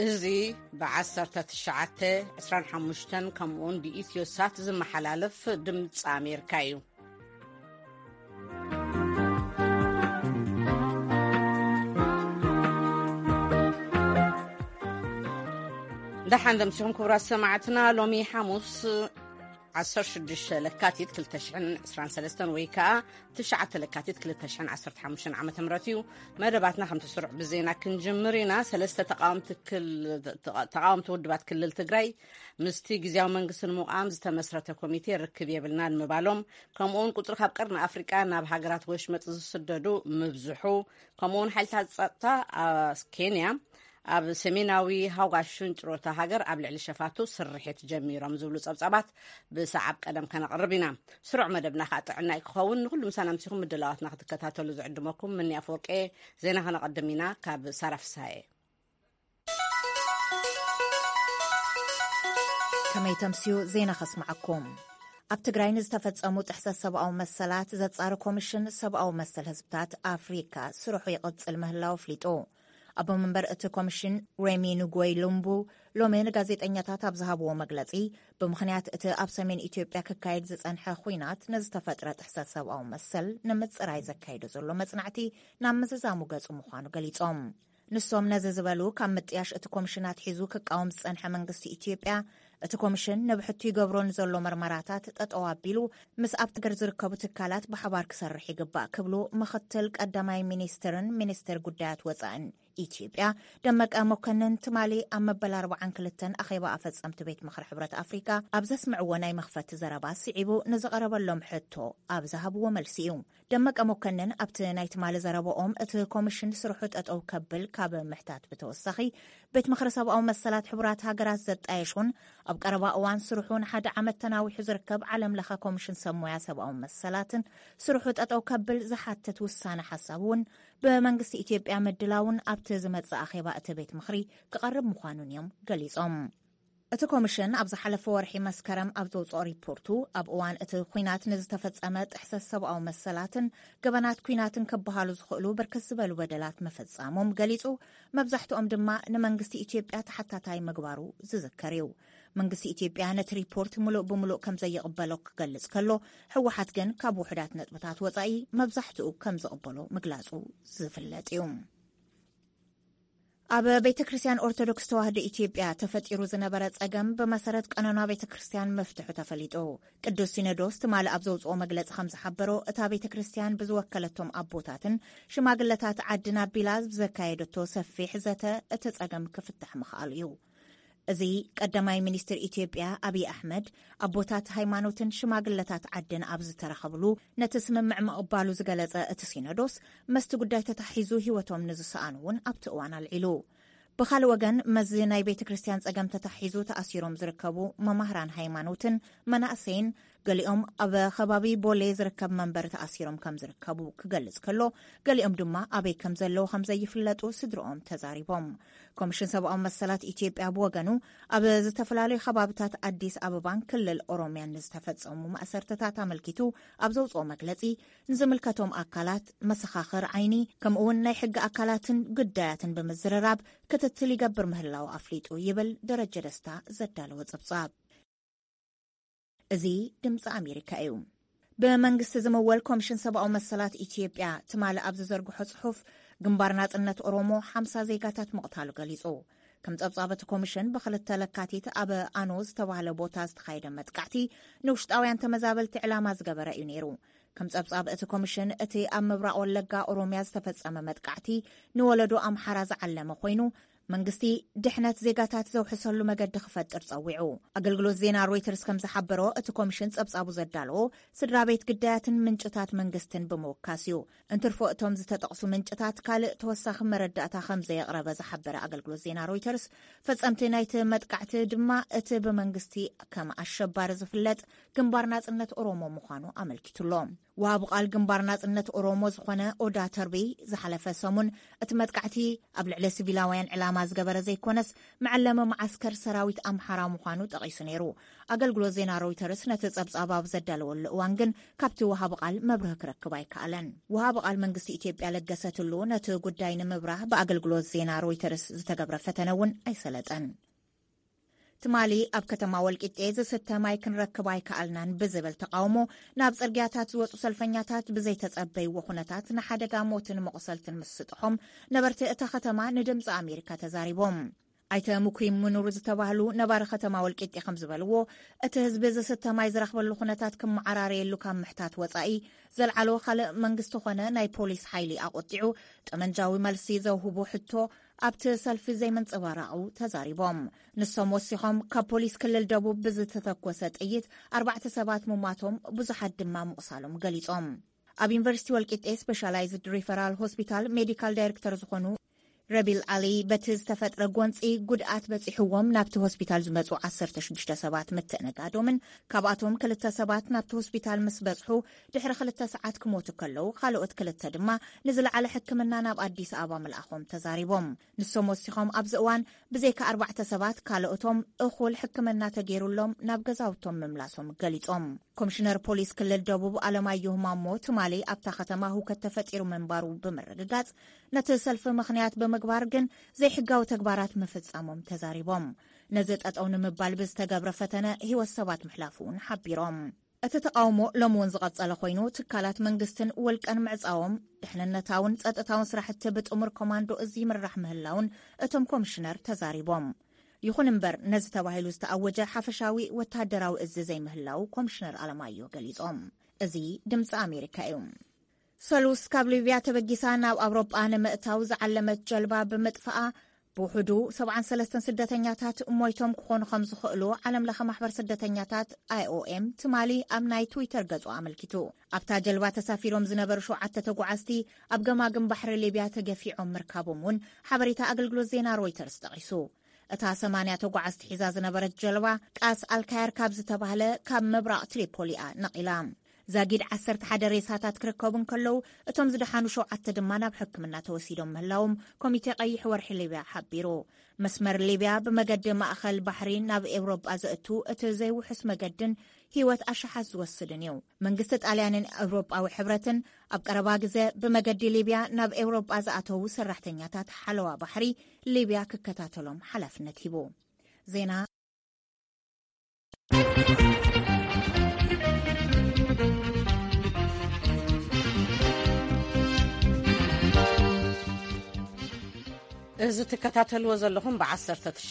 እዚ ብ1925 ከምኡውን ብኢትዮ ሳት ዝመሓላለፍ ድምፂ ኣሜሪካ እዩ። ደሓን ደምሲኹም ክቡራት ሰማዕትና። ሎሚ ሓሙስ 16 ለካቲት 2023 ወይ ከዓ 9 ለካቲት 2015 ዓ ም እዩ። መደባትና ከምቲ ስሩዕ ብዜና ክንጅምር ኢና። ሰለስተ ተቃወምቲ ክል- ተቃወምቲ ውድባት ክልል ትግራይ ምስቲ ግዜያዊ መንግስቲ ንምቋም ዝተመስረተ ኮሚቴ ርክብ የብልናን ምባሎም፣ ከምኡውን ቁፅሪ ካብ ቀርኒ ኣፍሪቃ ናብ ሃገራት ወሽመጥ ዝስደዱ ምብዝሑ፣ ከምኡውን ሓይልታት ጸጥታ ኣብ ኬንያ ኣብ ሰሜናዊ ሃውጋ ሽንጭሮታ ሃገር ኣብ ልዕሊ ሸፋቱ ስርሒት ጀሚሮም ዝብሉ ጸብጻባት ብሰዓብ ቀደም ከነቕርብ ኢና። ስሩዕ መደብና ከዓ ጥዕና እዩ ክኸውን። ንኩሉ ምሳና ምሲኹም ምድላዋትና ክትከታተሉ ዝዕድመኩም ምኒ ኣፈወርቄ። ዜና ከነቐድም ኢና ካብ ሳራ ፍስሃየ። ከመይ ተምስዩ ዜና ከስምዓኩም። ኣብ ትግራይ ንዝተፈጸሙ ጥሕሰት ሰብኣዊ መሰላት ዘጻሪ ኮሚሽን ሰብኣዊ መሰል ህዝብታት ኣፍሪካ ስርሑ ይቕጽል ምህላው ኣፍሊጡ። ኣቦ መንበር እቲ ኮሚሽን ሬሚ ንጎይ ሉምቡ ሎሚ ንጋዜጠኛታት ኣብ ዝሃብዎ መግለጺ፣ ብምኽንያት እቲ ኣብ ሰሜን ኢትዮጵያ ክካየድ ዝጸንሐ ኹናት ንዝተፈጥረ ጥሕሰት ሰብኣዊ መሰል ንምጽራይ ዘካይዶ ዘሎ መጽናዕቲ ናብ ምዝዛሙ ገጹ ምዃኑ ገሊጾም። ንሶም ነዚ ዝበሉ፣ ካብ ምጥያሽ እቲ ኮሚሽን ኣትሒዙ ክቃወም ዝጸንሐ መንግስቲ ኢትዮጵያ፣ እቲ ኮሚሽን ንብሕቱ ይገብሮ ንዘሎ መርመራታት ጠጠው ኣቢሉ ምስ ኣብቲ ገር ዝርከቡ ትካላት ብሓባር ክሰርሕ ይግባእ ክብሉ ምኽትል ቀዳማይ ሚኒስትርን ሚኒስትር ጉዳያት ወጻእን ኢትዮጵያ ደመቀ መኮንን ትማሊ ኣብ መበል 42 ኣኼባ ኣፈጸምቲ ቤት ምኽሪ ሕብረት ኣፍሪካ ኣብ ዘስምዕዎ ናይ መኽፈቲ ዘረባ ስዒቡ ንዝቐረበሎም ሕቶ ኣብ ዝሃብዎ መልሲ እዩ። ደመቀ መኮንን ኣብቲ ናይ ትማሊ ዘረባኦም፣ እቲ ኮሚሽን ስርሑ ጠጠው ከብል ካብ ምሕታት ብተወሳኺ፣ ቤት ምኽሪ ሰብኣዊ መሰላት ሕቡራት ሃገራት ዘጣየሹን ኣብ ቀረባ እዋን ስርሑ ንሓደ ዓመት ተናዊሑ ዝርከብ ዓለም ለኸ ኮሚሽን ሰብ ሞያ ሰብኣዊ መሰላትን ስርሑ ጠጠው ከብል ዝሓትት ውሳነ ሓሳብ እውን ብመንግስቲ ኢትዮጵያ ምድላውን ኣብቲ ዝመጽእ ኣኼባ እቲ ቤት ምኽሪ ክቐርብ ምዃኑን እዮም ገሊጾም። እቲ ኮሚሽን ኣብ ዝሓለፈ ወርሒ መስከረም ኣብ ዘውፅኦ ሪፖርቱ፣ ኣብ እዋን እቲ ኲናት ንዝተፈጸመ ጥሕሰት ሰብኣዊ መሰላትን ገበናት ኲናትን ክበሃሉ ዝኽእሉ ብርክት ዝበሉ በደላት ምፍጻሞም ገሊጹ፣ መብዛሕትኦም ድማ ንመንግስቲ ኢትዮጵያ ተሓታታይ ምግባሩ ዝዝከር እዩ። መንግስቲ ኢትዮጵያ ነቲ ሪፖርት ምሉእ ብምሉእ ከም ዘይቕበሎ ክገልጽ ከሎ፣ ህወሓት ግን ካብ ውሑዳት ነጥብታት ወጻኢ መብዛሕትኡ ከም ዝቕበሎ ምግላጹ ዝፍለጥ እዩ። ኣብ ቤተ ክርስቲያን ኦርቶዶክስ ተዋህዶ ኢትዮጵያ ተፈጢሩ ዝነበረ ጸገም ብመሰረት ቀኖና ቤተ ክርስቲያን ምፍትሑ ተፈሊጡ። ቅዱስ ሲኖዶስ ትማሊ ኣብ ዘውጽኦ መግለጺ ከም ዝሓበሮ፣ እታ ቤተ ክርስቲያን ብዝወከለቶም ኣቦታትን ሽማግለታት ዓድን ኣቢላ ብዘካየደቶ ሰፊሕ ዘተ እቲ ጸገም ክፍታሕ ምኽኣሉ እዩ። እዚ ቀዳማይ ሚኒስትር ኢትዮጵያ ኣብይ ኣሕመድ ኣቦታት ሃይማኖትን ሽማግለታት ዓድን ኣብ ዝተረኸብሉ ነቲ ስምምዕ ምቕባሉ ዝገለጸ እቲ ሲኖዶስ፣ መስቲ ጉዳይ ተታሒዙ ህይወቶም ንዝሰኣኑ እውን ኣብቲ እዋን ኣልዒሉ። ብኻልእ ወገን፣ መዚ ናይ ቤተ ክርስቲያን ጸገም ተታሒዙ ተኣሲሮም ዝርከቡ መማህራን ሃይማኖትን መናእሰይን፣ ገሊኦም ኣብ ከባቢ ቦሌ ዝርከብ መንበሪ ተኣሲሮም ከም ዝርከቡ ክገልጽ ከሎ፣ ገሊኦም ድማ ኣበይ ከም ዘለዉ ከም ዘይፍለጡ ስድርኦም ተዛሪቦም። ኮሚሽን ሰብኣዊ መሰላት ኢትዮጵያ ብወገኑ፣ ኣብ ዝተፈላለዩ ከባብታት ኣዲስ ኣበባን ክልል ኦሮሚያን ንዝተፈጸሙ ማእሰርትታት ኣመልኪቱ ኣብ ዘውጽኦ መግለጺ፣ ንዝምልከቶም ኣካላት፣ መሰኻኽር ዓይኒ፣ ከምኡ'ውን ናይ ሕጊ ኣካላትን ጉዳያትን ብምዝርራብ ክትትል ይገብር ምህላው ኣፍሊጡ ይብል ደረጀ ደስታ ዘዳለወ ጸብጻብ። እዚ ድምፂ ኣሜሪካ እዩ። ብመንግስቲ ዝምወል ኮሚሽን ሰብኣዊ መሰላት ኢትዮጵያ ትማሊ ኣብ ዝዘርግሖ ጽሑፍ፣ ግንባር ናጽነት ኦሮሞ ሓምሳ ዜጋታት ምቕታሉ ገሊጹ። ከም ጸብጻብ እቲ ኮሚሽን፣ ብክልተ ለካቲት ኣብ ኣኖ ዝተባህለ ቦታ ዝተኻየደ መጥቃዕቲ ንውሽጣውያን ተመዛበልቲ ዕላማ ዝገበረ እዩ ነይሩ። ከም ጸብጻብ እቲ ኮሚሽን፣ እቲ ኣብ ምብራቕ ወለጋ ኦሮሚያ ዝተፈጸመ መጥቃዕቲ ንወለዶ ኣምሓራ ዝዓለመ ኮይኑ፣ መንግስቲ ድሕነት ዜጋታት ዘውሕሰሉ መገዲ ክፈጥር ጸዊዑ። ኣገልግሎት ዜና ሮይተርስ ከም ዝሓበሮ፣ እቲ ኮሚሽን ጸብጻቡ ዘዳለዎ ስድራ ቤት ግዳያትን ምንጭታት መንግስትን ብምውካስ እዩ። እንትርፎ እቶም ዝተጠቕሱ ምንጭታት ካልእ ተወሳኺ መረዳእታ ከም ዘየቕረበ ዝሓበረ ኣገልግሎት ዜና ሮይተርስ፣ ፈጸምቲ ናይቲ መጥቃዕቲ ድማ እቲ ብመንግስቲ ከም ኣሸባሪ ዝፍለጥ ግንባር ናጽነት ኦሮሞ ምዃኑ ኣመልኪቱሎ። ወሃቢ ቃል ግንባር ናጽነት ኦሮሞ ዝኾነ ኦዳ ተርቢ ዝሓለፈ ሰሙን፣ እቲ መጥቃዕቲ ኣብ ልዕሊ ሲቪላውያን ዕላማ ዝገበረ ዘይኮነስ፣ መዐለሚ መዓስከር ሰራዊት ኣምሓራ ምዃኑ ጠቒሱ ነይሩ። ኣገልግሎት ዜና ሮይተርስ ነቲ ጸብጻብ ኣብ ዘዳለወሉ እዋን ግን፣ ካብቲ ወሃቢ ቃል መብርሂ ክረክብ ኣይከኣለን። ወሃቢ ቃል መንግስቲ ኢትዮጵያ ለገሰ ቱሉ ነቲ ጉዳይ ንምብራህ ብኣገልግሎት ዜና ሮይተርስ ዝተገብረ ፈተነ እውን ኣይሰለጠን። ትማሊ ኣብ ከተማ ወልቂጤ ዝስተ ማይ ክንረክብ ኣይከኣልናን ብዝብል ተቓውሞ ናብ ጽርግያታት ዝወጹ ሰልፈኛታት ብዘይተጸበይዎ ኩነታት ንሓደጋ ሞትን መቑሰልትን ምስጥሖም ነበርቲ እታ ከተማ ንድምጺ ኣሜሪካ ተዛሪቦም። ኣይተ ሙኩይ ምኑር ዝተባህሉ ነባሪ ከተማ ወልቂጤ ከም ዝበልዎ፣ እቲ ህዝቢ ዝስተ ማይ ዝረኽበሉ ኩነታት ክመዓራረየሉ ካብ ምሕታት ወጻኢ፣ ዘልዓሎ ካልእ መንግስቲ ኾነ ናይ ፖሊስ ሓይሊ ኣቖጢዑ ጠመንጃዊ መልሲ ዘውህቦ ሕቶ ኣብቲ ሰልፊ ዘይምንጽብራቑ ተዛሪቦም። ንሶም ወሲኾም፣ ካብ ፖሊስ ክልል ደቡብ ብዝተተኮሰ ጥይት ኣርባዕተ ሰባት ምሟቶም፣ ብዙሓት ድማ ምቑሳሎም ገሊጾም። ኣብ ዩኒቨርሲቲ ወልቂጤ ስፔሻላይዝድ ሪፈራል ሆስፒታል ሜዲካል ዳይሬክተር ዝኾኑ ረቢል ዓሊ፣ በቲ ዝተፈጥረ ጎንጺ ጉድኣት በጺሕዎም ናብቲ ሆስፒታል ዝመጹ ዓሰርተ ሽዱሽተ ሰባት ምትእንጋዶምን፣ ካብኣቶም ክልተ ሰባት ናብቲ ሆስፒታል ምስ በጽሑ ድሕሪ ክልተ ሰዓት ክሞቱ ከለዉ፣ ካልኦት ክልተ ድማ ንዝለዓለ ሕክምና ናብ ኣዲስ ኣበባ ምልኣኾም ተዛሪቦም። ንሶም ወሲኾም፣ ኣብዚ እዋን ብዘይካ ኣርባዕተ ሰባት ካልኦቶም እኹል ሕክምና ተገይሩሎም ናብ ገዛውቶም ምምላሶም ገሊጾም። ኮሚሽነር ፖሊስ ክልል ደቡብ ኣለማየሁ ማሞ ትማሊ ኣብታ ከተማ ህውከት ተፈጢሩ ምንባሩ ብምርግጋጽ፣ ነቲ ሰልፊ ምኽንያት ብምግባር ግን ዘይሕጋዊ ተግባራት ምፍጻሞም ተዛሪቦም። ነዚ ጠጠው ንምባል ብዝተገብረ ፈተነ ህይወት ሰባት ምሕላፉ እውን ሓቢሮም። እቲ ተቓውሞ ሎሚ እውን ዝቐጸለ ኮይኑ፣ ትካላት መንግስትን ውልቀን ምዕጻዎም፣ ድሕንነታውን ጸጥታውን ስራሕቲ ብጥሙር ኮማንዶ እዚ ይምራሕ ምህላውን እቶም ኮሚሽነር ተዛሪቦም። ይኹን እምበር፣ ነዚ ተባሂሉ ዝተኣወጀ ሓፈሻዊ ወተሃደራዊ እዚ ዘይምህላው ኮሚሽነር ኣለማዮ ገሊጾም። እዚ ድምፂ ኣሜሪካ እዩ። ሰሉስ ካብ ሊብያ ተበጊሳ ናብ ኣውሮጳ ንምእታው ዝዓለመት ጀልባ ብምጥፋኣ፣ ብውሕዱ ሰብዓን ሰለስተን ስደተኛታት ሞይቶም ክኾኑ ከም ዝኽእሉ ዓለም ለኸ ማሕበር ስደተኛታት፣ ኣይኦኤም፣ ትማሊ ኣብ ናይ ትዊተር ገጹ ኣመልኪቱ። ኣብታ ጀልባ ተሳፊሮም ዝነበሩ ሸውዓተ ተጓዓዝቲ ኣብ ገማግም ባሕሪ ሊብያ ተገፊዖም ምርካቦም እውን ሓበሬታ ኣገልግሎት ዜና ሮይተርስ ጠቒሱ። እታ ሰማንያ ተጓዓዝቲ ሒዛ ዝነበረት ጀልባ ቃስ ኣልካየር ካብ ዝተባህለ ካብ ምብራቕ ትሪፖሊ እያ ነቒላ። ዛጊድ ዓሰርተ ሓደ ሬሳታት ክርከቡ እንከለዉ፣ እቶም ዝደሓኑ ሸውዓተ ድማ ናብ ሕክምና ተወሲዶም ምህላዎም ኮሚቴ ቀይሕ ወርሒ ሊብያ ሓቢሩ። መስመር ሊብያ ብመገዲ ማእኸል ባሕሪ ናብ ኤውሮጳ ዘእቱ እቲ ዘይውሑስ መገድን ህይወት ኣሽሓት ዝወስድን እዩ። መንግስቲ ጣልያንን ኤውሮጳዊ ሕብረትን ኣብ ቀረባ ግዜ ብመገዲ ሊብያ ናብ ኤውሮጳ ዝኣተዉ ሰራሕተኛታት ሓለዋ ባሕሪ ሊብያ ክከታተሎም ሓላፍነት ሂቡ። ዜና እዚ ትከታተልዎ ዘለኹም ብ19፣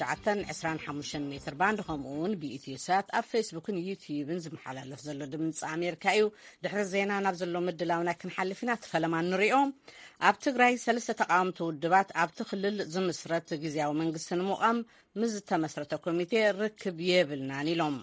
25 ሜትር ባንድ፣ ከምኡ እውን ብኢትዮ ሳት ኣብ ፌስቡክን ዩትዩብን ዝመሓላለፍ ዘሎ ድምፂ ኣሜሪካ እዩ። ድሕሪ ዜና ናብ ዘሎ ምድላውና ክንሓልፍ ኢና። እቲ ፈለማ ንሪኦ። ኣብ ትግራይ ሰለስተ ተቃወምቲ ውድባት ኣብቲ ክልል ዝምስረት ግዝያዊ መንግስቲ ንምቋም ምስ ዝተመስረተ ኮሚቴ ርክብ የብልናን ኢሎም።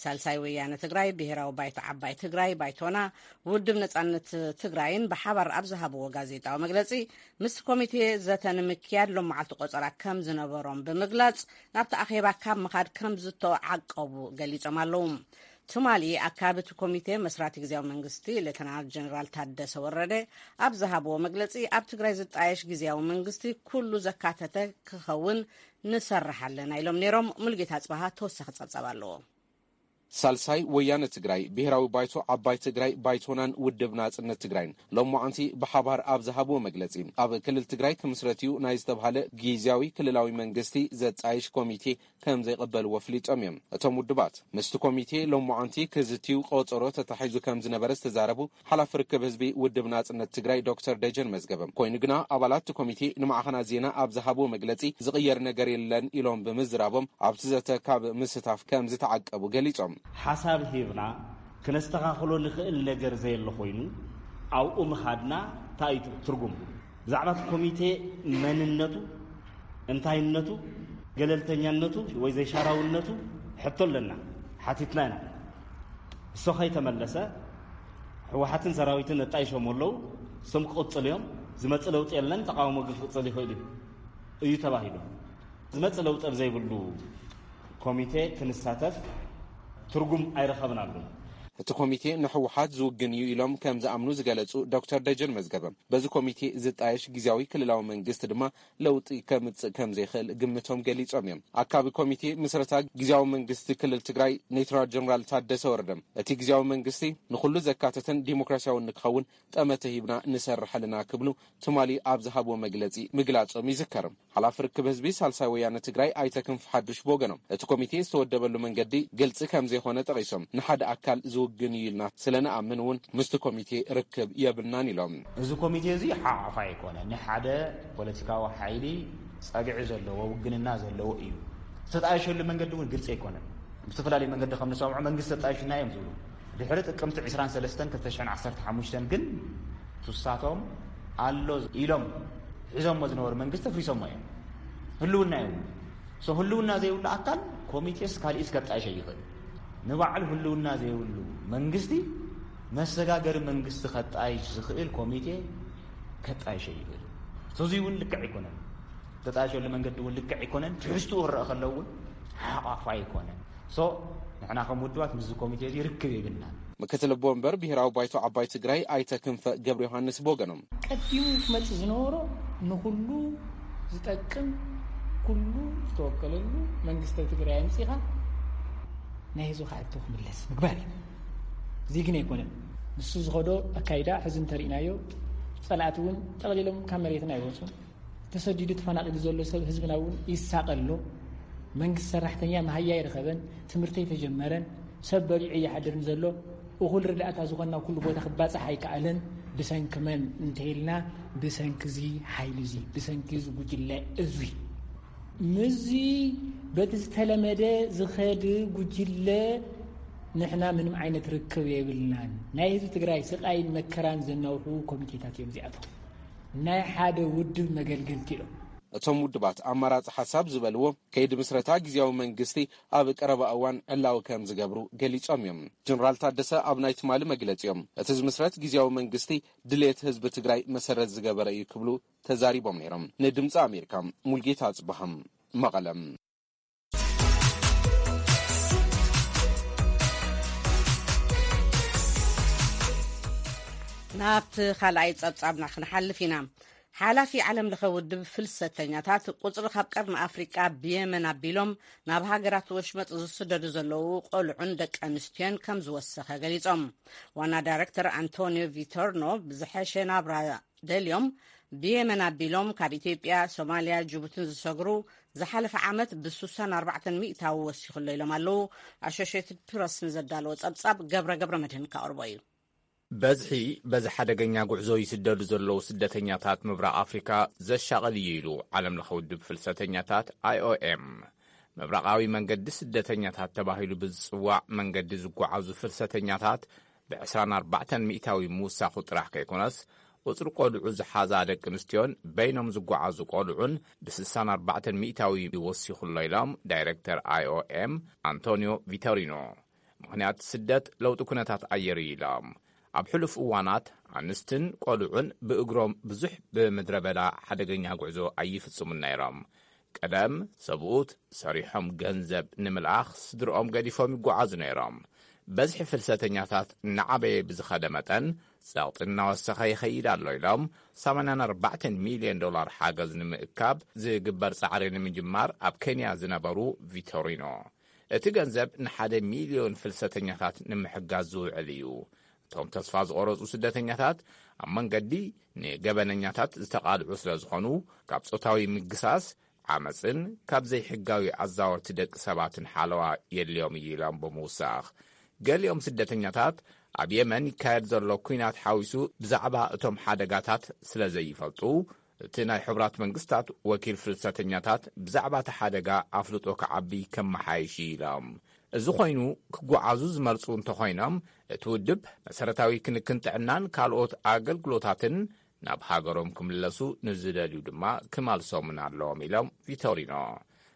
ሳልሳይ ወያነ ትግራይ፣ ብሄራዊ ባይቶ ዓባይ ትግራይ፣ ባይቶና፣ ውድብ ነጻነት ትግራይን ብሓባር ኣብ ዝሃብዎ ጋዜጣዊ መግለጺ፣ ምስ ኮሚቴ ዘተ ንምክያድ ሎም መዓልቲ ቆጸራ ከም ዝነበሮም ብምግላጽ፣ ናብቲ ኣኼባ ካብ ምኻድ ከም ዝተዓቀቡ ገሊጾም ኣለዉ። ትማሊ ኣካቢ እቲ ኮሚቴ መስራቲ ግዝያዊ መንግስቲ ሌተናል ጀነራል ታደሰ ወረደ ኣብ ዝሃብዎ መግለጺ፣ ኣብ ትግራይ ዝጣየሽ ግዝያዊ መንግስቲ ኩሉ ዘካተተ ክኸውን ንሰርሕ ኣለና ኢሎም ነይሮም። ሙሉጌታ ኣጽበሃ ተወሳኺ ጸብጻብ ኣለዎ። ሳልሳይ ወያነ ትግራይ፣ ብሄራዊ ባይቶ ዓባይ ትግራይ፣ ባይቶናን ውድብ ናጽነት ትግራይን ሎማዓንቲ ብሓባር ኣብ ዝሃብዎ መግለጺ፣ ኣብ ክልል ትግራይ ክምስረት እዩ ናይ ዝተብሃለ ግዝያዊ ክልላዊ መንግስቲ ዘጣይሽ ኮሚቴ ከም ዘይቕበልዎ ኣፍሊጦም እዮም። እቶም ውድባት ምስቲ ኮሚቴ ሎማዓንቲ ክዝትዩ ቆጸሮ ተታሒዙ ከም ዝነበረ ዝተዛረቡ ሓላፊ ርክብ ህዝቢ ውድብ ናጽነት ትግራይ ዶክተር ደጀን መዝገበ፣ ኮይኑ ግና ኣባላት እቲ ኮሚቴ ንማዕኸናት ዜና ኣብ ዝሃብዎ መግለጺ ዝቕየር ነገር የለን ኢሎም ብምዝራቦም ኣብቲ ዘተ ካብ ምስታፍ ከም ዝተዓቀቡ ገሊጾም። ሓሳብ ሂብና ክነስተኻኽሎ ንኽእል ነገር ዘየለ ኮይኑ ኣብኡ ምኻድና እንታይ እዩ ትርጉሙ? ብዛዕባ እቲ ኮሚቴ መንነቱ፣ እንታይነቱ፣ ገለልተኛነቱ ወይ ዘይሻራውነቱ ሕቶ ኣለና፣ ሓቲትና ኢና። እሱ ከይተመለሰ ህወሓትን ሰራዊትን ኣጣይሾም ኣለዉ፣ እሶም ክቕጽሉ እዮም፣ ዝመጽእ ለውጢ የለን፣ ተቃውሞ ግን ክቕጽል ይኽእል እዩ፣ እዩ ተባሂሉ። ዝመጽእ ለውጢ ኣብ ዘይብሉ ኮሚቴ ክንሳተፍ ትርጉም ኣይረኸብናሉን። እቲ ኮሚቴ ንህወሓት ዝውግን እዩ ኢሎም ከም ዝኣምኑ ዝገለጹ ዶክተር ደጀን መዝገበ፣ በዚ ኮሚቴ ዝጣየሽ ግዝያዊ ክልላዊ መንግስቲ ድማ ለውጢ ከምጽእ ከም ዘይኽእል ግምቶም ገሊጾም እዮም። ኣካቢ ኮሚቴ ምስረታ ግዝያዊ መንግስቲ ክልል ትግራይ ሌተናል ጀነራል ታደሰ ወረደ፣ እቲ ግዝያዊ መንግስቲ ንኹሉ ዘካተተን ዲሞክራሲያውን ንክኸውን ጠመተ ሂብና ንሰርሕ ኣለና ክብሉ ትማሊ ኣብ ዝሃብዎ መግለጺ ምግላጾም ይዝከር። ሓላፊ ርክብ ህዝቢ ሳልሳይ ወያነ ትግራይ ኣይተ ክንፈ ሓዱሽ ብወገኖም፣ እቲ ኮሚቴ ዝተወደበሉ መንገዲ ግልጺ ከም ዘይኮነ ጠቒሶም፣ ንሓደ ኣካል ዝውግን እዩ ኢልና ስለ ንኣምን እውን ምስቲ ኮሚቴ ርክብ የብልናን ኢሎም። እዚ ኮሚቴ እዚ ሓቋፋይ ኣይኮነ፣ ንሓደ ፖለቲካዊ ሓይሊ ጸግዒ ዘለዎ፣ ውግንና ዘለዎ እዩ። ዝተጣየሸሉ መንገዲ እውን ግልጺ ኣይኮነን። ብዝተፈላለየ መንገዲ ከም ንሰምዖ መንግስቲ ተጣይሹና እዮም ዝብሉ። ድሕሪ ጥቅምቲ ዕስራን ሰለስተን ክልተ ሽሕን ዓሰርተ ሓሙሽተን ግን ትሳቶም ኣሎ ኢሎም ሒዞሞ ዝነበሩ መንግስቲ ኣፍሪሶሞ እዮም። ህልውና የብሉ። ሶ ህልውና ዘይብሉ ኣካል ኮሚቴስ ካሊእስ ከጣይሽ ይኽእል። ንባዕሉ ህልውና ዘይብሉ መንግስቲ መሰጋገሪ መንግስቲ ከጣይሽ ዝኽእል ኮሚቴ ከጣይሽ ይኽእል። ሶ እዚ እውን ልክዕ ኣይኮነን። ተጣይሸሉ መንገዲ እውን ልክዕ ኣይኮነን። ትሕዝትኡ ክረአ ከሎ እውን ሓቋፋ ኣይኮነን። ሶ ንሕና ከም ውድባት ምስዚ ኮሚቴ እዚ ርክብ የብልናን። ምክትል ኣቦ ወንበር ብሄራዊ ባይቶ ዓባይ ትግራይ ኣይተ ክንፈ ገብረ ዮሃንስ ብወገኖም፣ ቀዲሙ ክመጽእ ዝነበሮ ንኹሉ ዝጠቅም ኩሉ ዝተወከለሉ መንግስቲ ትግራይ ኣምጺኻ ናይ ህዝቢ ከኣቶ ክምለስ ምግባር እዩ። እዚ ግን ኣይኮነን። ንሱ ዝኸዶ ኣካይዳ ሕዚ እንተሪእናዮ ጸላእቲ እውን ጠቕሊሎም ካብ መሬትና ኣይወፁን። ተሰዲዱ ተፈናቒሉ ዘሎ ሰብ ህዝብና እውን ይሳቐ ኣሎ። መንግስቲ ሰራሕተኛ መሃያ ኣይረኸበን፣ ትምህርቲ ኣይተጀመረን፣ ሰብ በሊዑ ይሓድርን ዘሎ። እኹል ርዳእታ ዝኾንና ኩሉ ቦታ ክባፃሕ ኣይከኣለን። ብሰንኪ መን እንተኢልና ብሰንኪ እዚ ሓይሊ እዚ፣ ብሰንኪ እዚ ጉጅለ እዚ። ምስዚ በቲ ዝተለመደ ዝኸድ ጉጅለ ንሕና ምንም ዓይነት ርክብ የብልናን። ናይ ህዝቢ ትግራይ ስቓይን መከራን ዘናውሑ ኮሚቴታት እዮም እዚኣቶም። ናይ ሓደ ውድብ መገልገልቲ እዮም። እቶም ውድባት ኣማራፂ ሓሳብ ዝበልዎ ከይዲ ምስረታ ግዝያዊ መንግስቲ ኣብ ቀረባ እዋን ዕላዊ ከም ዝገብሩ ገሊፆም እዮም። ጀነራል ታደሰ ኣብ ናይ ትማሊ መግለፂኦም፣ እቲ ዝምስረት ግዝያዊ መንግስቲ ድሌት ህዝቢ ትግራይ መሰረት ዝገበረ እዩ ክብሉ ተዛሪቦም ነይሮም። ንድምፂ ኣሜሪካ ሙልጌታ ኣፅበሃም መቐለም። ናብቲ ካልኣይ ጸብጻብና ክንሓልፍ ኢና። ሓላፊ ዓለም ለኸ ውድብ ፍልሰተኛታት፣ ቁጽሪ ካብ ቀርኒ ኣፍሪቃ ብየመን ኣቢሎም ናብ ሃገራት ወሽመጥ ዝስደዱ ዘለዉ ቆልዑን ደቂ ኣንስትዮን ከም ዝወሰኸ ገሊጾም። ዋና ዳይረክተር ኣንቶኒዮ ቪቶርኖ፣ ብዝሐሸ ናብራ ደልዮም ብየመን ኣቢሎም ካብ ኢትዮጵያ፣ ሶማልያ፣ ጅቡትን ዝሰግሩ ዝሓለፈ ዓመት ብ64 ሚእታዊ ወሲኹ ኣሎ ኢሎም ኣለዉ። ኣሶሽየትድ ፕረስ ንዘዳለዎ ጸብጻብ ገብረ ገብረ መድህን ካቕርቦ እዩ። በዝሒ በዚ ሓደገኛ ጉዕዞ ይስደዱ ዘለዉ ስደተኛታት ምብራቕ ኣፍሪካ ዘሻቕል እዩ ኢሉ ዓለም ለኸ ውድብ ፍልሰተኛታት፣ ኣይኦኤም። ምብራቓዊ መንገዲ ስደተኛታት ተባሂሉ ብዝጽዋዕ መንገዲ ዝጓዓዙ ፍልሰተኛታት ብ24 ሚእታዊ ምውሳኹ ጥራሕ ከይኮነስ፣ ቁጽሪ ቆልዑ ዝሓዛ ደቂ ኣንስትዮን በይኖም ዝጓዓዙ ቆልዑን ብ64 ሚእታዊ ወሲኹ ኣሎ ኢሎም ዳይረክተር ኣይኦኤም ኣንቶኒዮ ቪቶሪኖ። ምኽንያት ስደት ለውጢ ኩነታት ኣየር እዩ ኢሎም። ኣብ ሕሉፍ እዋናት ኣንስትን ቆልዑን ብእግሮም ብዙሕ ብምድረ በዳ ሓደገኛ ጉዕዞ ኣይፍጽሙን ነይሮም። ቀደም ሰብኡት ሰሪሖም ገንዘብ ንምልኣኽ ስድርኦም ገዲፎም ይጓዓዙ ነይሮም። በዝሒ ፍልሰተኛታት እናዓበየ ብዝኸደ መጠን፣ ጸቕጢ እናወሰኸ ይኸይድ ኣሎ ኢሎም፣ ሰማንያን ኣርባዕተን ሚልዮን ዶላር ሓገዝ ንምእካብ ዝግበር ጻዕሪ ንምጅማር ኣብ ኬንያ ዝነበሩ ቪቶሪኖ፣ እቲ ገንዘብ ንሓደ ሚልዮን ፍልሰተኛታት ንምሕጋዝ ዝውዕል እዩ። እቶም ተስፋ ዝቖረጹ ስደተኛታት ኣብ መንገዲ ንገበነኛታት ዝተቓልዑ ስለ ዝኾኑ፣ ካብ ጾታዊ ምግሳስ፣ ዓመጽን ካብ ዘይሕጋዊ ኣዛወርቲ ደቂ ሰባትን ሓለዋ የድልዮም እዩ ኢሎም ብምውሳኽ፣ ገሊኦም ስደተኛታት ኣብ የመን ይካየድ ዘሎ ኲናት ሓዊሱ ብዛዕባ እቶም ሓደጋታት ስለ ዘይፈልጡ፣ እቲ ናይ ሕቡራት መንግስታት ወኪል ፍልሰተኛታት ብዛዕባ እቲ ሓደጋ ኣፍልጦ ክዓቢ ከመሓይሽ እዩ ኢሎም። እዚ ኮይኑ፣ ክጓዓዙ ዝመርጹ እንተኾይኖም፣ እቲ ውድብ መሰረታዊ ክንክን ጥዕናን ካልኦት ኣገልግሎታትን ናብ ሃገሮም ክምለሱ ንዝደልዩ ድማ ክመልሶምን ኣለዎም ኢሎም ቪቶሪኖ።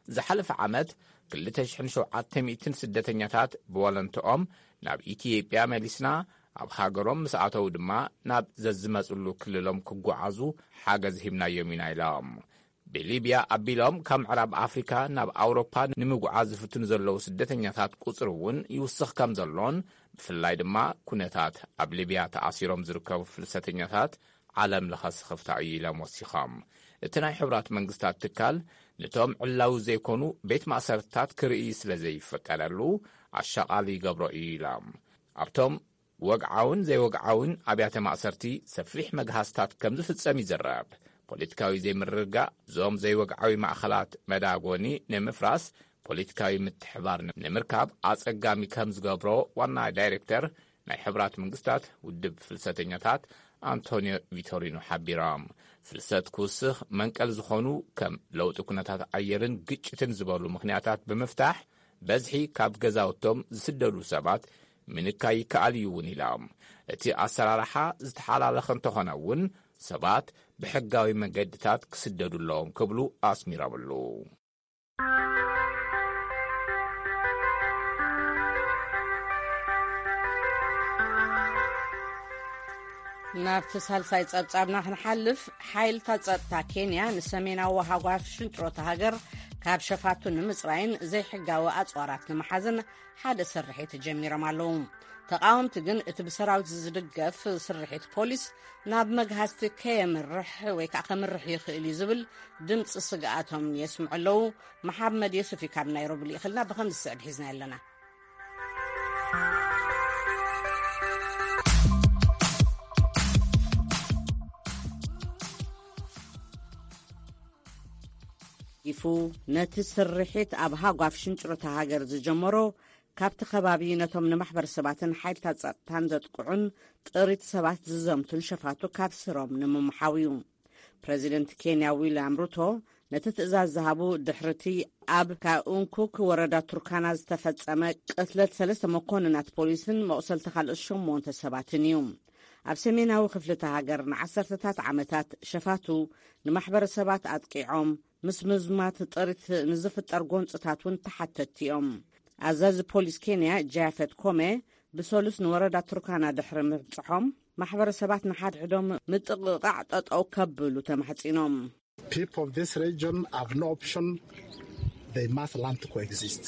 ዝሓለፈ ዓመት ክልተ ሽሕን ሸውዓተ ሚእትን ስደተኛታት ብወለንትኦም ናብ ኢትዮጵያ መሊስና፣ ኣብ ሃገሮም ምስ ኣተዉ ድማ ናብ ዘዝመጽሉ ክልሎም ክጓዓዙ ሓገዝ ሂብናዮም ኢና ኢሎም። ብሊብያ ኣቢሎም ካብ ምዕራብ ኣፍሪካ ናብ ኣውሮፓ ንምጉዓዝ ዝፍትኑ ዘለዉ ስደተኛታት ቁፅሪ እውን ይውስኽ ከም ዘሎን፣ ብፍላይ ድማ ኩነታት ኣብ ሊብያ ተኣሲሮም ዝርከቡ ፍልሰተኛታት ዓለም ለኸ ስኽፍታ እዩ ኢሎም ወሲኾም። እቲ ናይ ሕቡራት መንግስታት ትካል፣ ነቶም ዕላዊ ዘይኮኑ ቤት ማእሰርትታት ክርኢ ስለ ዘይፈቀደሉ፣ ኣሻቓሊ ይገብሮ እዩ ኢሎም። ኣብቶም ወግዓውን ዘይወግዓውን ኣብያተ ማእሰርቲ ሰፊሕ መግሃስታት ከም ዝፍጸም ይዝረብ። ፖለቲካዊ ዘይምርግጋእ፣ እዞም ዘይወግዓዊ ማእኸላት መዳጎኒ ንምፍራስ ፖለቲካዊ ምትሕባር ንምርካብ ኣጸጋሚ ከም ዝገብሮ ዋና ዳይሬክተር ናይ ሕቡራት መንግስታት ውድብ ፍልሰተኛታት ኣንቶኒዮ ቪቶሪኖ ሓቢሮም። ፍልሰት ክውስኽ መንቀል ዝኾኑ ከም ለውጢ ኩነታት ኣየርን ግጭትን ዝበሉ ምኽንያታት ብምፍታሕ፣ በዝሒ ካብ ገዛውቶም ዝስደዱ ሰባት ምንካይ ይከኣል እዩ እውን ኢሎም። እቲ ኣሰራርሓ ዝተሓላለኸ እንተኾነ እውን፣ ሰባት ብሕጋዊ መገድታት ክስደዱ ኣለዎም ክብሉ ኣስሚሮምሉ። ናብቲ ሳልሳይ ጸብጻብና ክንሓልፍ፣ ሓይልታት ጸጥታ ኬንያ ንሰሜናዊ ሃጓፍ ሽንጥሮታ ሃገር ካብ ሸፋቱ ንምጽራይን ዘይሕጋዊ ኣጽዋራት ንምሓዝን ሓደ ስርሒት ጀሚሮም ኣለዉ። ተቓወምቲ ግን እቲ ብሰራዊት ዝድገፍ ስርሒት ፖሊስ ናብ መግሃስቲ ከየምርሕ ወይ ከዓ ከምርሕ ይኽእል እዩ ዝብል ድምፂ ስግኣቶም የስምዑ ኣለዉ። መሓመድ የሱፍ እዩ ካብ ናይሮቢ ልኢኽልና፣ ብኸም ዝስዕብ ሒዝና ኣለና። ይፉ ነቲ ስርሒት ኣብ ሃጓፍ ሽንጭሮታ ሃገር ዝጀመሮ፣ ካብቲ ከባቢ ነቶም ንማሕበረሰባትን ሓይልታት ጸጥታን ዘጥቅዑን ጥሪት ሰባት ዝዘምቱን ሸፋቱ ካብ ስሮም ንምምሓው እዩ። ፕረዚደንት ኬንያ ዊልያም ሩቶ ነቲ ትእዛዝ ዝሃቡ ድሕርቲ ኣብ ካኡንኩክ ወረዳ ቱርካና ዝተፈጸመ ቅትለት ሰለስተ መኮንናት ፖሊስን መቑሰልቲ ካልኦት ሸሞንተ ሰባትን እዩ። ኣብ ሰሜናዊ ክፍልቲ ሃገር ንዓሰርተታት ዓመታት ሸፋቱ ንማሕበረሰባት ኣጥቂዖም፣ ምስ ምዝማት ጥሪት ንዝፍጠር ጎንፅታት እውን ተሓተትቲ እዮም። ኣዛዚ ፖሊስ ኬንያ ጃፈት ኮሜ ብሰሉስ ንወረዳ ቱርካና ድሕሪ ምብፅሖም፣ ማሕበረሰባት ንሓድሕዶም ምጥቕቓዕ ጠጠው ከብሉ ተማሕፂኖም። People of this region have no option. They must learn to coexist.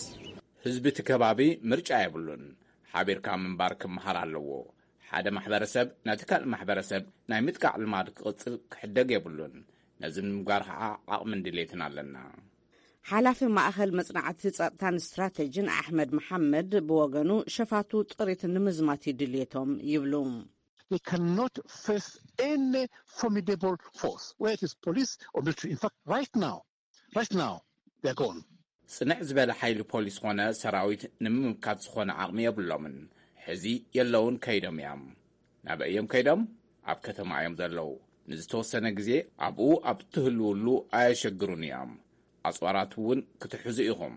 ህዝቢ እቲ ከባቢ ምርጫ የብሉን። ሓቢርካ ምንባር ክመሃር ኣለዎ። ሓደ ማሕበረሰብ ነቲ ካልእ ማሕበረሰብ ናይ ምጥቃዕ ልማድ ክቕጽል ክሕደግ የብሉን። ነዚ ንምግባር ከዓ ዓቕምን ድሌትን ኣለና። ሓላፊ ማእኸል መጽናዕቲ ጸጥታን ስትራተጂን ኣሕመድ መሓመድ ብወገኑ፣ ሸፋቱ ጥሪት ንምዝማት እዩ ድልየቶም ይብሉ። They cannot face any formidable force, whether it is police or military. In fact, right now, right now, they're gone. ጽንዕ ዝበለ ሓይሊ ፖሊስ ኾነ ሰራዊት ንምምካት ዝኾነ ዓቕሚ የብሎምን። ሕዚ የለውን፣ ከይዶም እዮም። ናበይ እዮም ከይዶም? ኣብ ከተማ እዮም ዘለዉ። ንዝተወሰነ ግዜ ኣብኡ ኣብ ትህልውሉ ኣየሸግሩን እዮም። ኣጽዋራት እውን ክትሕዙ ኢኹም።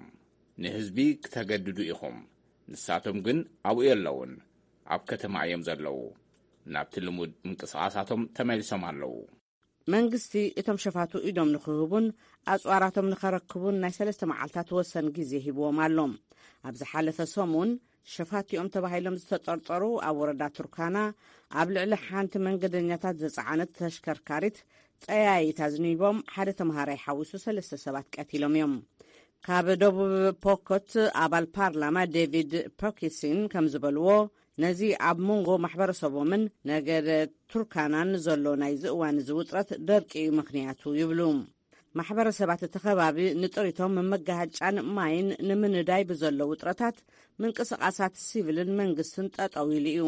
ንህዝቢ ክተገድዱ ኢኹም። ንሳቶም ግን ኣብኡ የለውን። ኣብ ከተማ እዮም ዘለዉ። ናብቲ ልሙድ ምንቅስቓሳቶም ተመሊሶም ኣለዉ። መንግስቲ እቶም ሸፋቱ ኢዶም ንክህቡን ኣጽዋራቶም ንኸረክቡን ናይ ሰለስተ መዓልታት ወሰን ግዜ ሂብዎም ኣሎ። ኣብ ዝሓለፈ ሰሙን፣ ሸፋቲኦም ተባሂሎም ዝተጠርጠሩ ኣብ ወረዳ ቱርካና ኣብ ልዕሊ ሓንቲ መንገደኛታት ዝጸዓነት ተሽከርካሪት ጠያይት ኣዝኒቦም ሓደ ተምሃራይ ሓዊሱ ሰለስተ ሰባት ቀቲሎም እዮም። ካብ ደቡብ ፖኮት ኣባል ፓርላማ ዴቪድ ፖኪሲን ከም ዝበልዎ፣ ነዚ ኣብ መንጎ ማሕበረሰቦምን ነገደ ቱርካናን ዘሎ ናይዚ እዋን እዚ ውጥረት ደርቂ እዩ ምኽንያቱ ይብሉ። ማሕበረሰባት እቲ ከባቢ ንጥሪቶም መጋሃጫን ማይን ንምንዳይ ብዘሎ ውጥረታት፣ ምንቅስቓሳት ሲቪልን መንግስትን ጠጠው ኢሉ እዩ።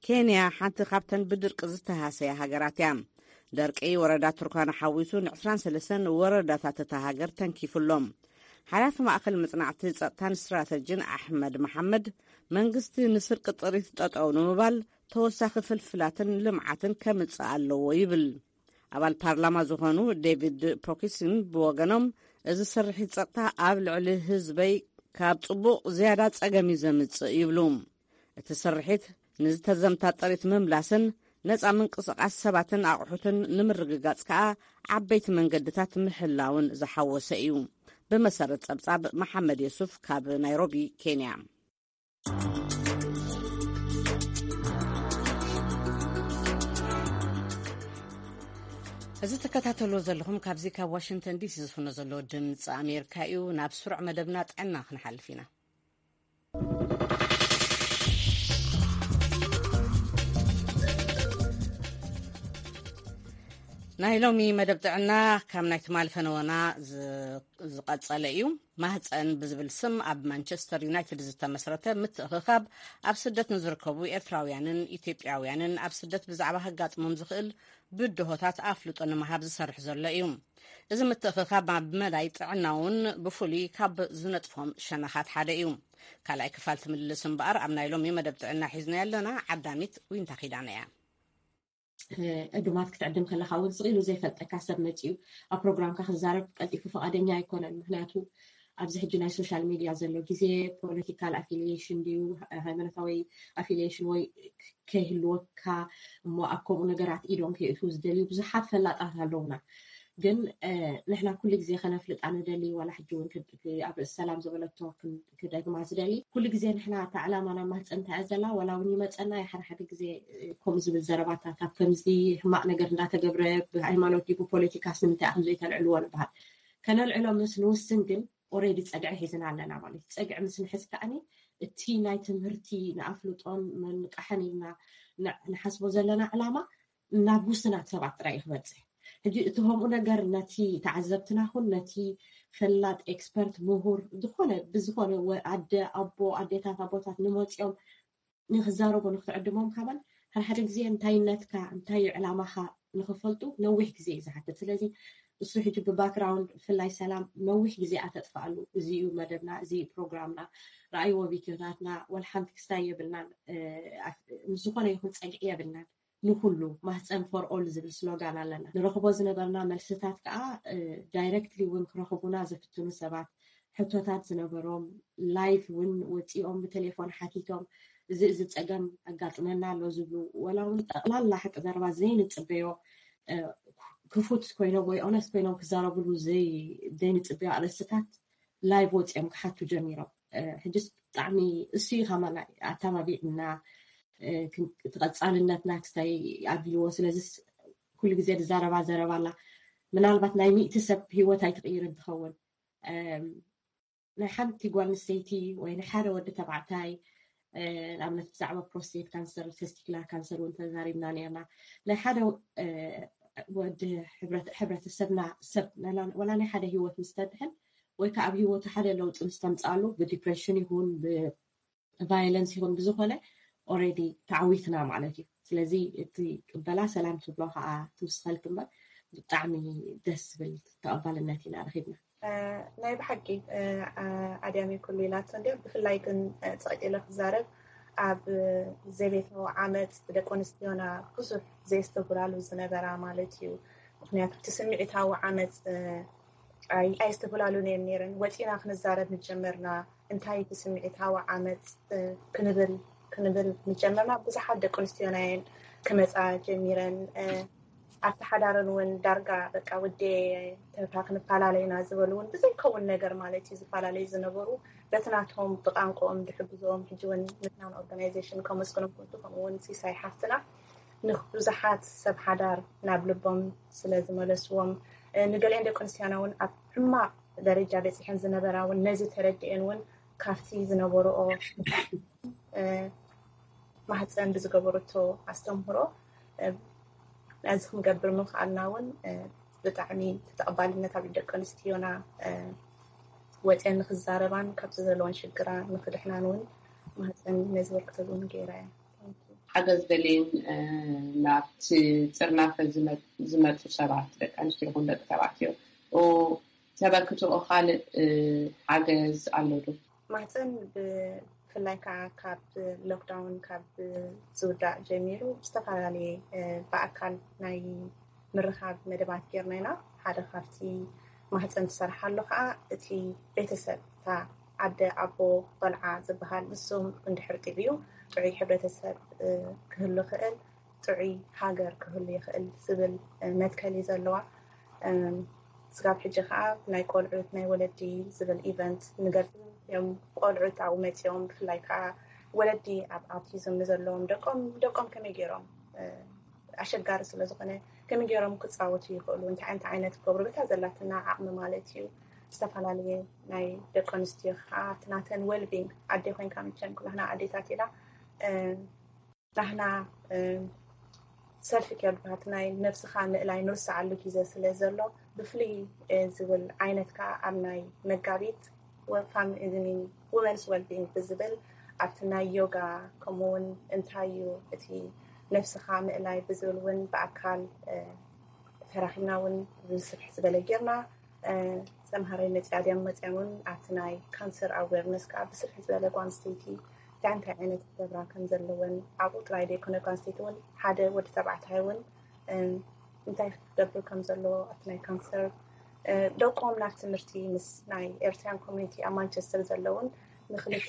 ኬንያ ሓንቲ ካብተን ብድርቂ ዝተሃሰያ ሃገራት እያ። ደርቂ ወረዳ ቱርካና ሓዊሱ ን ዕስራን ሰለስተን ወረዳታት እታ ሃገር ተንኪፉሎም። ሓላፊ ማእኸል መጽናዕቲ ጸጥታን ስትራተጂን ኣሕመድ መሓመድ፣ መንግስቲ ንስርቂ ጥሪት ጠጠው ንምባል ተወሳኺ ፍልፍላትን ልምዓትን ከምጽእ ኣለዎ ይብል። ኣባል ፓርላማ ዝኾኑ ዴቪድ ፖኪሲን ብወገኖም፣ እዚ ስርሒት ጸጥታ ኣብ ልዕሊ ህዝበይ ካብ ጽቡቕ ዝያዳ ጸገም እዩ ዘምጽእ ይብሉ። እቲ ስርሒት ንዝተዘምታ ጥሪት ምምላስን ነጻ ምንቅስቓስ ሰባትን ኣቑሑትን ንምርግጋጽ ከኣ ዓበይቲ መንገድታት ምሕላውን ዝሓወሰ እዩ። ብመሰረት ጸብጻብ መሓመድ የሱፍ ካብ ናይሮቢ፣ ኬንያ። እዚ ትከታተልዎ ዘለኹም ካብዚ ካብ ዋሽንግተን ዲሲ ዝፍኖ ዘሎ ድምፂ ኣሜሪካ እዩ። ናብ ስሩዕ መደብና ጥዕና ክንሓልፍ ኢና። ናይ ሎሚ መደብ ጥዕና ካብ ናይ ትማሊ ፈነወና ዝ- ዝቐጸለ እዩ። ማህፀን ብዝብል ስም ኣብ ማንቸስተር ዩናይትድ ዝተመስረተ ምትእኽኻብ ኣብ ስደት ንዝርከቡ ኤርትራውያንን ኢትዮጵያውያንን ኣብ ስደት ብዛዕባ ከጋጥሞም ዝኽእል ብድሆታት ኣፍልጦ ንምሃብ ዝሰርሕ ዘሎ እዩ። እዚ ምትእኽኻብ ኣብ መዳይ ጥዕና እውን ብፍሉይ ካብ ዝነጥፎም ሸነኻት ሓደ እዩ። ካልኣይ ክፋል ትምልስ እምበኣር ኣብ ናይ ሎሚ መደብ ጥዕና ሒዝና ኣለና። ዓዳሚት ዊንታ ኪዳነ እያ። ዕዱማት ክትዕድም ከለካ እውን ስቕ ኢሉ ዘይፈልጠካ ሰብ መፂኡ ኣብ ፕሮግራምካ ክዛረብ ቀልጢፉ ፈቓደኛ ኣይኮነን። ምክንያቱ ኣብዚ ሕጂ ናይ ሶሻል ሚድያ ዘሎ ግዜ ፖለቲካል ኣፊሊሽን ድዩ ሃይማኖታዊ ኣፊሊሽን ወይ ከይህልወካ እሞ ኣብ ከምኡ ነገራት ኢዶም ከይእትዉ ዝደልዩ ብዙሓት ፈላጣት ኣለውና። ግን ንሕና ኩሉ ግዜ ከነፍልጣ ንደሊ ዋላ ሕጂ እውን ኣብ ርእሲ ሰላም ዝበለቶ ክደግማ ዝደሊ ኩሉ ግዜ ንሕና እታ ዕላማ ናብ ማህፀንታ እያ ዘላ ዋላ እውን ይመፀና ሓደ ሓደ ግዜ ከምኡ ዝብል ዘረባታት ኣብ ከምዚ ሕማቕ ነገር እንዳተገብረ ብሃይማኖት ድዩ ብፖለቲካስ ንምንታይ ኢኹም ዘይተልዕልዎ ንበሃል። ከነልዕሎ ምስ ንውስን ግን ኦሬዲ ፀግዒ ሒዝና ኣለና ማለት እዩ። ፀግዒ ምስ ንሕዝ ከዓኒ እቲ ናይ ትምህርቲ ንኣፍልጦን መንቃሕን ኢልና ንሓስቦ ዘለና ዕላማ ናብ ውስናት ሰባት ጥራይ እዩ ክበፅሕ። ሕጂ እቲ ከምኡ ነገር ነቲ ተዓዘብትና ኹን ነቲ ፈላጥ ኤክስፐርት ምሁር ዝኾነ ብዝኾነ ኣደ ኣቦ ኣዴታት ኣቦታት ንመፅኦም ንክዛረቡ ንክትዕድሞም ካባን ሓደ ሓደ ግዜ እንታይነትካ እንታይ እዩ ዕላማኻ ንክፈልጡ ነዊሕ ግዜ እዩ ዝሓትት። ስለዚ እሱ ሕጂ ብባክግራውንድ ብፍላይ ሰላም ነዊሕ ግዜ ኣተጥፍኣሉ እዚ እዩ መደብና፣ እዚ እዩ ፕሮግራምና። ረኣይዎ ቪድዮታትና ወላ ሓንቲ ክስታይ የብልናን፣ ምስ ዝኾነ ይኹን ፀግዒ የብልናን። ንኩሉ ማህፀን ፎር ኦል ዝብል ስሎጋን ኣለና። ንረኽቦ ዝነበርና መልስታት ከዓ ዳይረክትሊ እውን ክረኽቡና ዝፍትኑ ሰባት ሕቶታት ዝነበሮም ላይቭ እውን ወፂኦም ብቴሌፎን ሓቲቶም እዚ እዚ ፀገም ኣጋጥመና ኣሎ ዝብሉ ወላ እውን ጠቕላላ ሓቂ ዘረባ ዘይንፅበዮ ክፉት ኮይኖም ወይ ኦነስት ኮይኖም ክዛረብሉ ዘይንፅበዮ ኣርእስትታት ላይቭ ወፂኦም ክሓቱ ጀሚሮም። ሕጅስ ብጣዕሚ እሱ እዩ ከማና ኣተባቢዕና እቲ ቀፃልነትና ክስታይ ኣቢልዎ። ስለዚ ኩሉ ግዜ ዝዛረባ ዘረባ ኣላ። ምናልባት ናይ ሚእቲ ሰብ ሂወት ኣይትቕይርን ትኸውን። ናይ ሓንቲ ጓል ኣንስተይቲ ወይ ንሓደ ወዲ ተባዕታይ ንኣብነት ብዛዕባ ፕሮስቴት ካንሰር፣ ቴስቲኩላር ካንሰር እውን ተዛሪብና ነርና። ናይ ሓደ ወዲ ሕብረተሰብና ሰብ ወላ ናይ ሓደ ሂወት ምስ ተድሕን ወይ ከዓ ኣብ ሂወቱ ሓደ ለውጢ ምስ ተምፅኣሉ ብዲፕሬሽን ይኹን ብቫይለንስ ይኹን ብዝኾነ ኦሬዲ ተዓዊትና ማለት እዩ። ስለዚ እቲ ቅበላ ሰላም ትብሎ ከዓ ትውስኸልክ እምበር ብጣዕሚ ደስ ዝብል ተቐባልነት ኢና ረኺብና። ናይ ብሓቂ ኣድያሚ ኩሉ ኢላቶ እንዲ ብፍላይ ግን ፀቂጢ ኢለ ክዛረብ ኣብ ዘቤታዊ ዓመፅ ደቂ ኣንስትዮና ብዙሕ ዘየስተጉላሉ ዝነበራ ማለት እዩ። ምክንያቱ እቲ ስምዒታዊ ዓመፅ ኣየስተጉላሉን እዮም ነይረን። ወፂና ክንዛረብ ምጀመርና እንታይ እቲ ስምዒታዊ ዓመፅ ክንብል ክንብል ምጀመርና ብዙሓት ደቂ ኣንስትዮና እየን ክመፃ ጀሚረን። ኣብቲ ሓዳረን እውን ዳርጋ በቃ ውዴ ተብካ ክንፈላለ ኢና ዝበሉ እውን ብዘይከውን ነገር ማለት እዩ ዝፈላለዩ ዝነበሩ በቲ ናቶም ብቋንቋኦም ዝሕግዝኦም ሕጂ እውን ምድናን ኦርጋናይዜሽን ከመስግኖም ክወዱ ከምኡ እውን ሲሳይ ሓፍትና ንብዙሓት ሰብ ሓዳር ናብ ልቦም ስለ ዝመለስዎም ንገሊአን ደቂ ኣንስትዮና እውን ኣብ ሕማቕ ደረጃ በፂሐን ዝነበራ እውን ነዚ ተረዲአን እውን ካብቲ ዝነበርኦ ማህፀን ብዝገበረቶ ኣስተምህሮ ነዚ ክንገብር ምኽኣልና እውን ብጣዕሚ ተቐባልነት ኣብ ደቂ ኣንስትዮና ወፅአን ንክዛረባን ካብቲ ዘለዎን ሽግራ ንክድሕናን እውን ማህፀን ነዚ ወርክተብ እውን ገይራ እያ። ሓገዝ ደልየን ናብቲ ጥርናፈ ዝመፁ ሰባት ደቂ ኣንስትዮ ይኹን ደቂ ተባዕትዮ ተበርክትኦ ካልእ ሓገዝ ኣሎ ዶ? ማህፀን ብፍላይ ከዓ ካብ ሎክዳውን ካብ ዝውዳእ ጀሚሩ ዝተፈላለየ ብኣካል ናይ ምርኻብ መደባት ጌርና ኢና። ሓደ ካብቲ ማህፀን ትሰርሓሉ ከዓ እቲ ቤተሰብ እታ ኣደ ኣቦ ቆልዓ ዝበሃል ንሶም እንድሕር ጥዕዩ ጥዑይ ሕብረተሰብ ክህሉ ይኽእል፣ ጥዑይ ሃገር ክህሉ ይኽእል ዝብል መትከል እዩ ዘለዋ። ስጋብ ሕጂ ከዓ ናይ ቆልዑት ናይ ወለዲ ዝብል ኢቨንት ንገብር እዮም። ቆልዑት ኣብኡ መፂኦም ብፍላይ ከዓ ወለዲ ኣብ ኣውቲዝም ንዘለዎም ደቆም ደቆም ከመይ ገይሮም ኣሸጋሪ ስለዝኾነ ከመይ ገይሮም ክፃወቱ ይኽእሉ፣ እንታይ እንታይ ዓይነት ክገብሩ፣ በታ ዘላትና ዓቕሚ ማለት እዩ። ዝተፈላለየ ናይ ደቂ ኣንስትዮ ከዓ እቲ ናተን ዌልቢንግ፣ ኣዴ ኮይንካ መቸም ኩላህና ኣዴታት ኢና። ናህና ሰልፊ ኬር ድባሃት ናይ ነብስኻ ምእላይ ንርስዓሉ ግዜ ስለ ዘሎ፣ ብፍልይ ዝብል ዓይነት ከዓ ኣብ ናይ መጋቢት ወፋም ውመንስ ዌልቢንግ ብዝብል ኣብቲ ናይ ዮጋ፣ ከምኡ እውን እንታይ እዩ እቲ ነብስኻ ምእላይ ብዝብል እውን ብኣካል ተራኺብና እውን ብስፍሕ ዝበለ ጌርና። ተምሃራይ መፅያ ድዮም መፅዮም እውን ኣብቲ ናይ ካንሰር ኣዌርነስ ከዓ ብስፍሕ ዝበለ ጓል ኣንስተይቲ እንታይ እንታይ ዓይነት ክገብራ ከም ዘለወን፣ ኣብኡ ጥራይ ዘይኮነ ጓል ኣንስተይቲ እውን ሓደ ወዲ ተባዕታይ እውን እንታይ ክገብር ከም ዘለዎ ኣብቲ ናይ ካንሰር ደቆም ናብ ትምህርቲ ምስ ናይ ኤርትራን ኮሚኒቲ ኣብ ማንቸስተር ዘለውን ንክልተ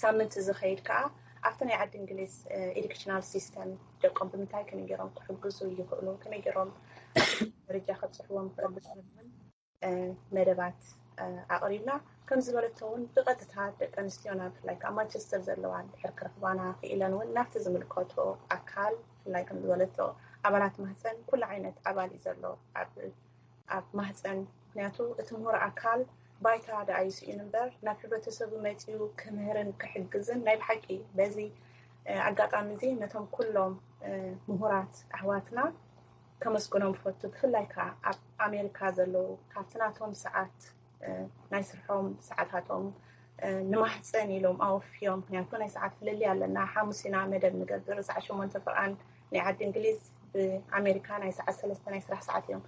ሳምንት ዝኸይድ ከዓ ኣብቲ ናይ ዓዲ እንግሊዝ ኤዱኬሽናል ሲስተም ደቆም ብምንታይ ከመይ ገይሮም ክሕግዙ ይኽእሉ፣ ከመይ ገይሮም ደረጃ ከብፅሕዎም ክእሉ ዝኽእሉን መደባት ኣቕሪብና። ከም ዝበለቶ እውን ብቐጥታ ደቂ ኣንስትዮና ብፍላይ ከዓ ማንቸስተር ዘለዋ ድሕር ክረኽባና ክኢለን እውን ናብቲ ዝምልከቶ ኣካል ብፍላይ ከም ዝበለቶ ኣባላት ማህፀን ኩሉ ዓይነት ኣባል እዩ ዘሎ ኣብ ኣብ ማህፀን። ምክንያቱ እቲ ምሁር ኣካል ባይታ ደኣ ይስኢን እምበር ናብ ሕብረተሰቡ መፂኡ ክምህርን ክሕግዝን ናይ ብሓቂ በዚ ኣጋጣሚ እዚ ነቶም ኩሎም ምሁራት ኣሕዋትና ከመስግኖም ፈቱ። ብፍላይ ከዓ ኣብ ኣሜሪካ ዘለዉ ካብቲ ናቶም ሰዓት ናይ ስርሖም ሰዓታቶም ንማህፀን ኢሎም ኣወፍዮም። ምክንያቱ ናይ ሰዓት ፍልልይ ኣለና። ሓሙስ ኢና መደብ ንገብር፣ ሰዓት ሸሞንተ ፍርኣን ናይ ዓዲ እንግሊዝ፣ ብኣሜሪካ ናይ ሰዓት ሰለስተ ናይ ስራሕ ሰዓት እዮም።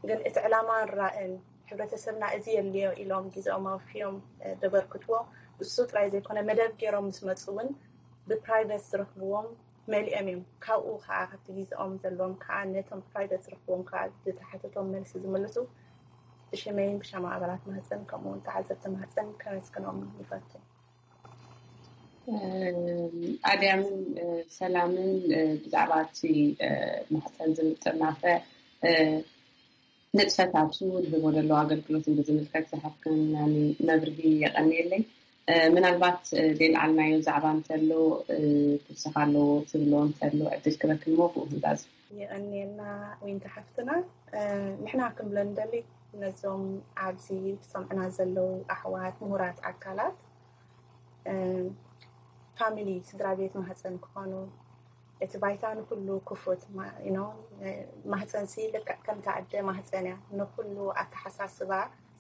ግን እቲ ዕላማን ራእን ሕብረተሰብና እዚ የድልዮ ኢሎም ግዜኦም ኣወፍዮም ዘበርክትዎ እሱ ጥራይ ዘይኮነ፣ መደብ ገይሮም ምስ መፁ እውን ብፕራይቬት ዝረኽብዎም መሊኦም እዮም። ካብኡ ከዓ ካብቲ ግዜኦም ዘለዎም ከዓ ነቶም ፕራይቬት ዝረኽብዎም ከዓ ዝተሓተቶም መልሲ ዝምልሱ ብሽመይን ብሻማ ኣባላት ማህፀን ከምኡ እውን ተዓዘብቲ ማህፀን ከመስግኖም ይፈቱ። ኣድያምን ሰላምን ብዛዕባ እቲ ማህፀን ዝምጥርናፈ ንጥፈታቱ ዝህቦ ዘለዎ ኣገልግሎትን ብዝምልከት ዝሃብክናኒ መብርሂ የቐንየለይ። ምናልባት ዘይልዓልናዮ ዛዕባ እንተሎ፣ ክውስኽ ኣለዎ ትብሎ እንተሎ ዕድል ክበክን እሞ ብኡ ክንዛዝ። የቐንየልና ዊንታ ሓፍትና። ንሕና ክንብሎ ንደሊ ነዞም ኣብዚ ዝሰምዑና ዘለዉ ኣሕዋት ምሁራት ኣካላት ፋሚሊ ስድራ ቤት ማህፀን ክኾኑ እቲ ባይታ ንኩሉ ክፉት ማህፀንሲ ልክዕ ከምታ ኣደ ማህፀን እያ። ንኩሉ ኣተሓሳስባ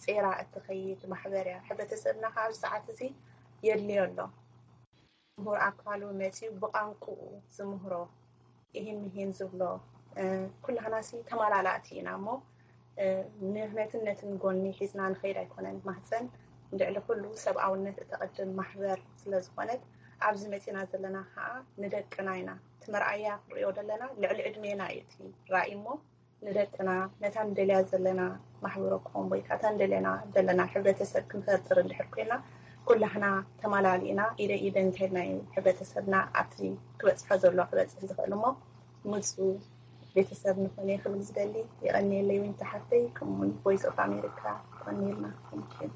ፂራ እትኸይድ ማሕበር እያ። ሕብረተሰብና ካብ ሰዓት እዚ የድልዮ ኣሎ። ምሁር ኣካሉ መፂኡ ብቋንቁኡ ዝምህሮ ይህን ምሂን ዝብሎ ኩላህናሲ ተመላላእቲ ኢና እሞ ንህነትን ነትን ጎኒ ሒዝና ንኸይድ ኣይኮነን። ማህፀን ልዕሊ ኩሉ ሰብኣውነት እተቐድም ማሕበር ስለ ዝኾነት ኣብዚ መፂና ዘለና ከዓ ንደቅና ኢና እቲ መርኣያ ክንሪኦ ዘለና ልዕሊ ዕድሜና እዩ እቲ ራእይ እሞ ንደቅና ነታ ንደልያ ዘለና ማሕበረ ክኾን ወይ ከዓ እታ ንደልየና ዘለና ሕብረተሰብ ክንፈጥር እንድሕር ኮይና ኩላህና ተማላሊእና ኢደ ኢደ እንተልና እዩ ሕብረተሰብና ኣብቲ ክበፅሖ ዘሎ ክበፅሕ ዝኽእል እሞ ምፁ ቤተሰብ ንኾነ ክብል ዝደሊ የቐንየለይ ዊንታ ሓፍተይ ከምኡውን ቮይስ ኦፍ ኣሜሪካ የቐንየልና። Thank you።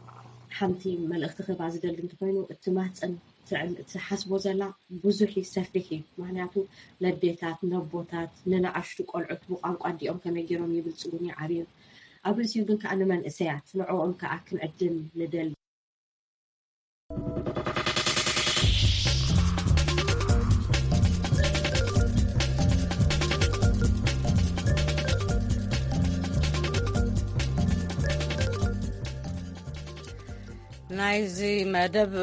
ሓንቲ መልእኽቲ ክህባ ዝደሊ እንተኾይኑ እቲ ማህፀን ትዕል- ትሓስቦ ዘላ ብዙሕ እዩ ሰፊሕ እዩ። ምክንያቱ ነዴታት ነቦታት ንነኣሽቱ ቆልዑት ብቋንቋ ኣዲኦም ከመይ ገይሮም ይብልፅጉን ይዓብዩን ኣብ ርእሲኡ ግን ከዓ ንመንእሰያት ንዕኦም ከዓ ክንዕድም ንደሊ። ናይዚ መደብ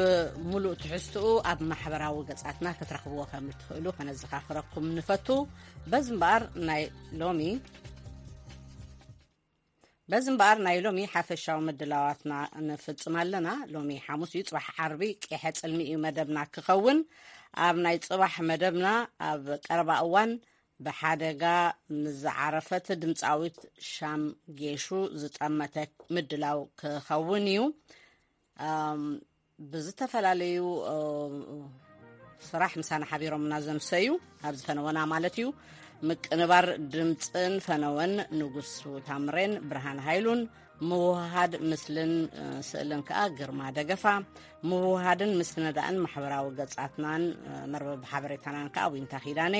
ሙሉእ ትሕዝትኡ ኣብ ማሕበራዊ ገጻትና ክትረኽብዎ ከም እትኽእሉ ከነዘኻኽረኩም ንፈቱ። በዚ እምበኣር ናይ ሎሚ በዚ እምበኣር ናይ ሎሚ ሓፈሻዊ ምድላዋትና ንፍጽም ኣለና። ሎሚ ሓሙስ እዩ፣ ጽባሕ ዓርቢ ቄሐ ጽልሚ እዩ መደብና ክኸውን። ኣብ ናይ ጽባሕ መደብና ኣብ ቀረባ እዋን ብሓደጋ ምስ ዝዓረፈት ድምፃዊት ሻም ጌሹ ዝጠመተ ምድላው ክኸውን እዩ። ብዝተፈላለዩ ስራሕ ምሳና ሓቢሮምና ዘምሰዩ ኣብዚ ፈነወና ማለት እዩ። ምቅንባር ድምፅን ፈነወን ንጉሱ ታምሬን ብርሃን ሃይሉን ምውሃድ ምስልን ስእልን ከኣ ግርማ ደገፋ፣ ምውሃድን ምስንዳእን ማሕበራዊ ገጻትናን መርበብ ሓበሬታናን ከኣ ዊንታ ኪዳነ፣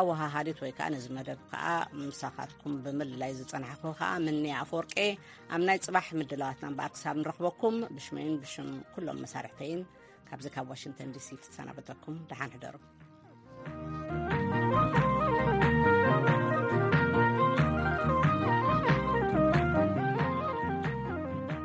ኣወሃሃዲት ወይ ከኣ ነዚ መደብ ከኣ ምሳኻትኩም ብምልላይ ዝጸናሕኩ ከኣ ምንያ ኣፈወርቄ። ኣብ ናይ ጽባሕ ምድላዋትና እምበኣር ክሳብ ንረኽበኩም ብሽመይን ብሽም ኩሎም መሳርሕተይን ካብዚ ካብ ዋሽንግተን ዲሲ ክትሰናበተኩም ደሓን ሕደሩ።